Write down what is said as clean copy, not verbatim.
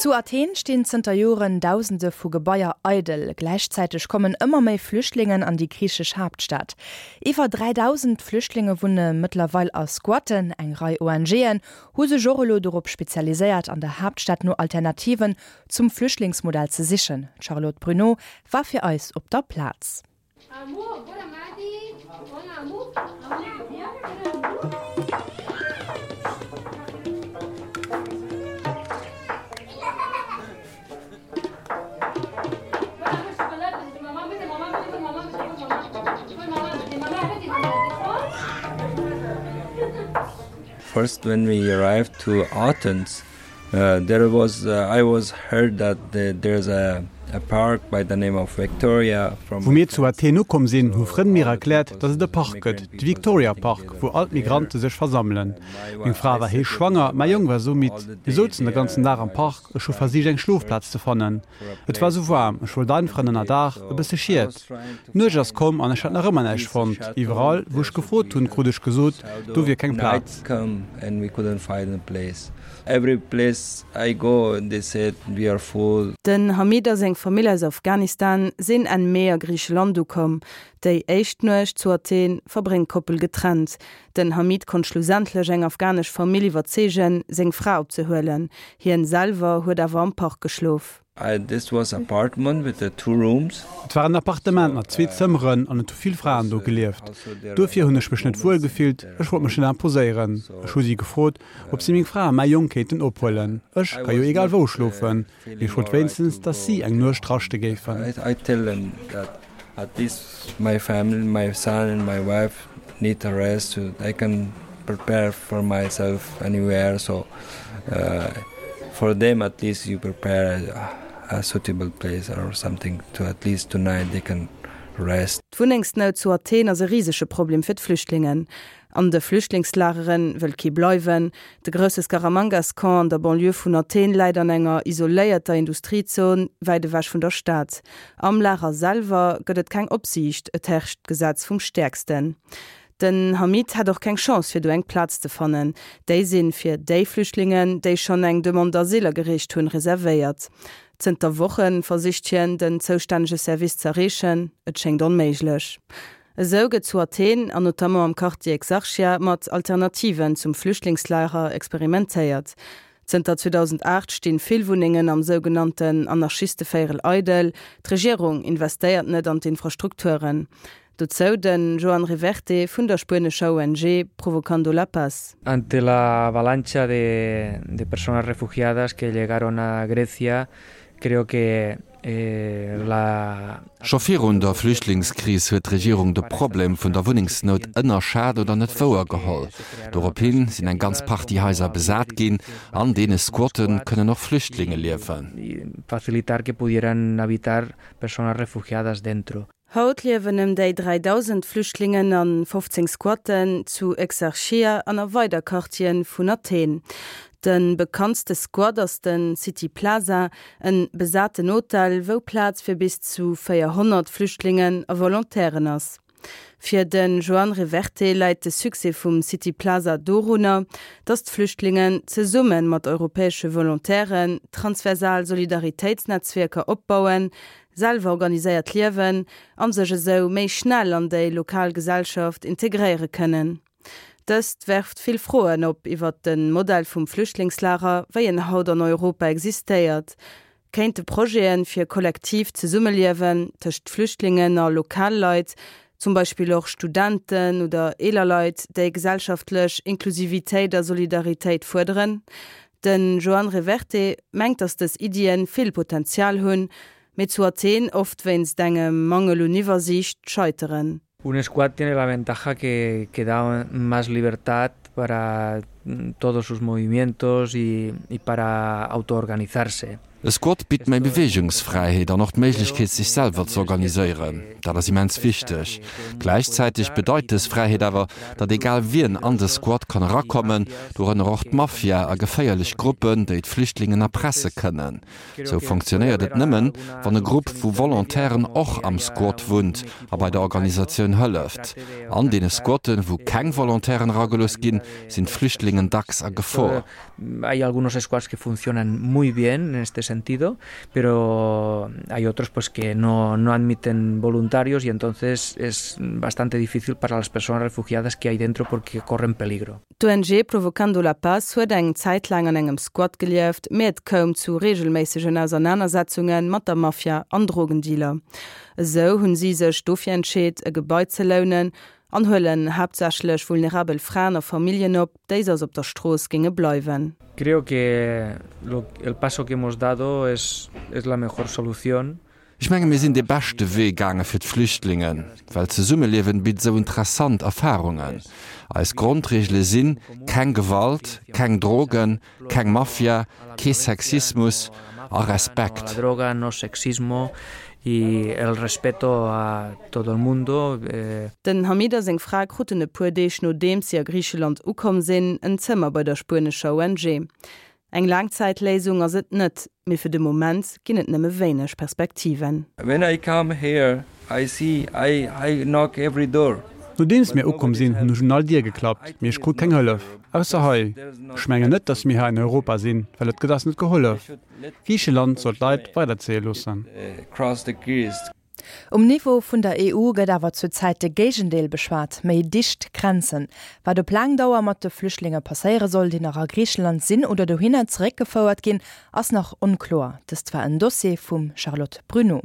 Zu Athen stinn zënter Joren Dausende vu Gebaier eidel. Gläichzäiteg kommen ëmmer méi Flüchtlingen an déi griichesch Haaptstad. Iwwer 3.000 Flüchtlinge wunne mëttlerweil a Squatten. Eng Rei ONGen hu sech och elo dorop spezialiséiert, an der Haaptstad no Alternativen zum Flüchtlingsmodell ze sichen. D'Charlotte Bruneau war fir eis op der Plaz. First when we arrived to Athens, There was I was heard that there's a a park by the name of Victoria from Wou mir zu Athen ukomm sinn, hu Frënn mir erkläert, datt et e Park gëtt, de Victoria Park, wou all d'Migrante sech versammelen. Meng Fra war héich schwanger, mäi Jong war esou midd. Mir souzen de ganzen Dag am Park, ech hu versicht eng Schlofplaz ze fannen. Et war esou waarm, ech wollt einfach en Ënnerdaach, e bësse Schiet. D'Nuecht ass komm an ech hat nach ëmmer näischt fonnt. Iwwerall, wou ech gefrot hunn, krut ech gesot, do wier keng Plaz. Every place I go they said we are full. Den Hamid a seng Famill aus Afghanistan sinn Enn Mee a Griicheland ukomm. Déi éischt Nuecht zu Athen verbréngt d'Koppel getrennt. Den Hamid konnt schlussendlech eng afghanesch Famill iwwerzeegen, seng Fra opzehuelen. Hien selwer huet awer am Park geschlof. This was apartment with the two rooms. Et war en Appartement mat zwee Zëmmeren an et hu vill Fraen do gelieft. Duerfir hunn ech mech net wuel gefillt, ech wollt mech net imposéieren. Ech hu si gefrot, ob si meng Fra a mäi Jong kéinten ophuelen. Ech ka jo egal wou schlofen, mee ech wollt wéinstens, datt si eng Nuecht raschte géifen. At least my family, my son and my wife need a rest. I can prepare for myself anywhere. So uh, for them, at least you prepare a, a suitable place or something to at least tonight they can rest. D'Wunnengsnout zu Athen ass e risege Problem fir d'Flüchtlingen. An de Flüchtlingslagere wëll kee bleiwen. De grousse Skaramangas-Camp an der Banlieue vun Athen läit an enger isoléierter Industriezon, wäit ewech vun der Stad. Am Lager selwer gëtt et keng Opsiicht, et herrscht d'Gesetz vum Stäerksten. Den Hamid hätt och keng Chance fir do eng Plaz ze fannen. Déi sinn fir déi Flüchtlingen, déi schonn eng Demande d'asile agereecht hunn, reservéiert. Zënter Woche versicht hien, den zoustännege Service z'erreechen, et schéngt onméiglech. Esou gëtt zu Athen, an notamment am Quartier Exarchia, mat Alternativen zum Flüchtlingslager experimentéiert. Zënter 2008 stinn vill Wunnengen am sougenannten Anarchistevéierel eidel. D'Regierung investéiert net an d'Infrastrukturen. Dozou de Joan Reverte vun der spuenescher ONG Provocando la Paz. Ante la avalancha de de personas refugiadas que llegaron a Grecia, creo que Scho virun der Flüchtlingskris huet d'Regierung de Problem vun der Wunnengsnout ënnerschat oder net wouer geholl. Dorop hin sinn eng ganz Partie Haiser besat ginn. An deene Squatte kënnen och Flüchtlinge liewen. Haut liewen ëm déi 3.000 Flüchtlingen a 15 Squatten zu Exarchia an a weider Quartiere vun Athen. De bekanntste Squat ass de City Plaza, en besaten Hotel, wou Plaz fir bis zu 400 Flüchtlingen a Volontairen ass. Fir de Joan Reverte läit de Succès vum City Plaza dorunner, datt d'Flüchtlingen zesumme mat europäesche Volontairen transversal Solidaritéitsnetzwierker opbauen, selwer organiséiert liewen an sech esou méi schnell an déi lokal Gesellschaft integréiere kënnen. Dëst werft vill Froen op iwwert de Modell vum Flüchtlingslager, wéi en haut an Europa existéiert. Kéinte Projete fir kollektiivt Zesummeliewen tëscht Flüchtlingen a Lokalleit, zum Beispill och Studenten oder eeler Leit, déi gesellschaftlech Inklusivitéit a Solidaritéit fuerderen? Den Joan Reverte mengt, datt dës Iddien vill Potenzial hunn, mee zu Athen oft wéinst engem Mangel un Iwwersiicht scheiteren. Un squat tiene la ventaja que que da más libertad para todos sus movimientos y y para autoorganizarse. E Squat bitt méi Beweegungsfräiheet an och d'Méiglechkeet sech selwer ze organiséieren. Dat ass immens wichteg. Gläichzäiteg bedeit dës Fräiheet awer, datt egal wien an de Squat kann erakommen, dorënner och d'Mafia a geféierlech Gruppen, déi d'Flüchtlingen erpresse kënnen. Sou fonctionnéiert et nëmmen, wann e Grupp vu Volontairen och am Squat wunnt a bei der Organisatioun hëlleft. An deene Squatten, wou keng Volontairen eragelooss ginn, sinn d'Flüchtlingen. Flüchtlingen dacks a Gefor. Hay algunos squats que funcionan muy bien en este sentido, pero hay otros pues que no, no admiten voluntarios y entonces es bastante difícil para las personas refugiadas que hay dentro porque corren peligro. D'ONG Provocando la Paz huet eng Zäit laang an engem Squat gelieft, mee et koum zu reegelméissegen Ausernanersetzunge mat der Mafia an Drogendealer. Esou hunn si sech dofir entscheet, e Gebai ze lounen an huelen haaptsächlech vulnerabel Fraen a Familljen op, déi soss op der Strooss géinge bleiwen. Creo que el paso que hemos dado es es la mejor solución. Ech menge mir sinn dee beschte Wee gaange fir d'Flüchtlingen, well d'Zesummeliewen bitt esou interessant Erfarungen. Eis Grondreegele sinn, keng Gewalt, keng Drogen, keng Mafia, kee Sexismus a Respekt. Den Hamid a seng Fra kruten e puer Deeg nodeems si a Griicheland ukomm sinn, en Zëmmer bei der spuenescher ONG. Eng Laangzäitléisung ass et net, mee fir de Moment ginn et nëmme wéineg Perspektiven. When I come here, I see, I, I knock every door. Nodeems mir ukomm sinn, hunn ech un all Dier geklappt, mee ech krut keng Hëllef, ausser hei. Ech mengen net, datt mir hei an Europa sinn, well et gëtt eis net gehollef. Griicheland soll d'Leit weiderzéie loossen. Um Niveau vun der EU gëtt awer zur Zäit de Géigendeel beschwat, méi dicht Grenzen. Wat op laang Dauer mat de Flüchtlinge passéiere soll, déi nach a Griicheland sinn oder dohinner zeréckgefouert ginn, ass nach onkloer. Dëst war en Dossier vum Charlotte Bruneau.